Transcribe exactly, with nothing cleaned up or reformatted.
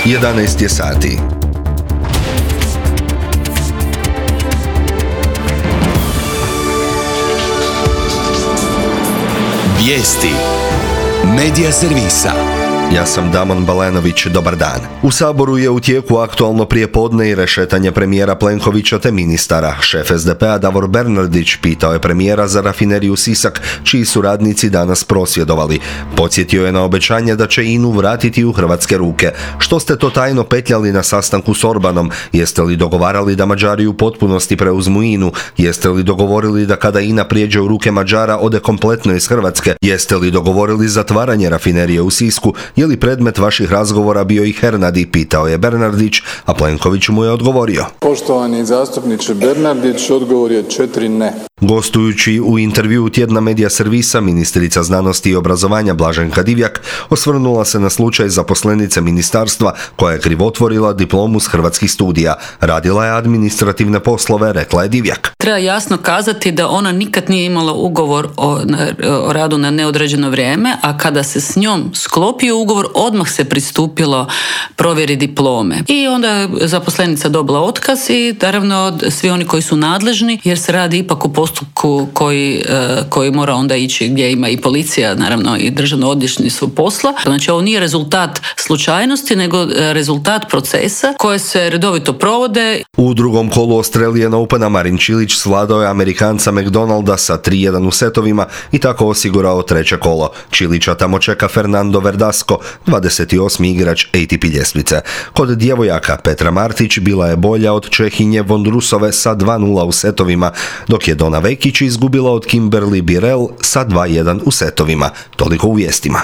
jedanaest je sati. Vijesti Medija servisa. Ja sam Damon Balenović, dobar dan. U Saboru je u tijeku aktualno prijepodne i rešetanje premijera Plenkovića te ministara. Šef es de pe a Davor Bernardić pitao je premijera za rafineriju Sisak, čiji su radnici danas prosvjedovali. Podsjetio je na obećanje da će I N A-u vratiti u hrvatske ruke. Što ste to tajno petljali na sastanku s Orbanom? Jeste li dogovarali da Mađari u potpunosti preuzmu I N A-u? Jeste li dogovorili da kada I N A prijeđe u ruke Mađara ode kompletno iz Hrvatske? Jeste li dogovorili zatvaranje rafinerije u Sisku? Je li predmet vaših razgovora bio i Hernadi, pitao je Bernardić, a Plenković mu je odgovorio. Poštovani zastupniče Bernardić, odgovor je četiri ne. Gostujući u intervjuu tjedna Medija servisa, ministrica znanosti i obrazovanja Blaženka Divjak osvrnula se na slučaj zaposlenice ministarstva koja je krivotvorila diplomu s hrvatskih studija. Radila je administrativne poslove, rekla je Divjak. Treba jasno kazati da ona nikad nije imala ugovor o, o radu na neodređeno vrijeme, a kada se s njom sklopio ugovor, odmah se pristupilo provjeri diplome. I onda je zaposlenica dobila otkaz i naravno svi oni koji su nadležni, jer se radi ipak o postupku koji, koji mora onda ići gdje ima i policija, naravno i državno odvjetništvo posla. Znači ovo nije rezultat slučajnosti, nego rezultat procesa koje se redovito provode. U drugom kolu Australian Opena Marin Čilić svladao je Amerikanca McDonalda sa tri jedan u setovima i tako osigurao treće kolo. Čilića tamo čeka Fernando Verdasco, dvadeset osmi igrač A T P ljestvice. Kod djevojaka Petra Martić bila je bolja od Čehinje Vondrusove sa dva nula u setovima, dok je Dona Vekić izgubila od Kimberly Birrell sa dva jedan u setovima. Toliko u vijestima.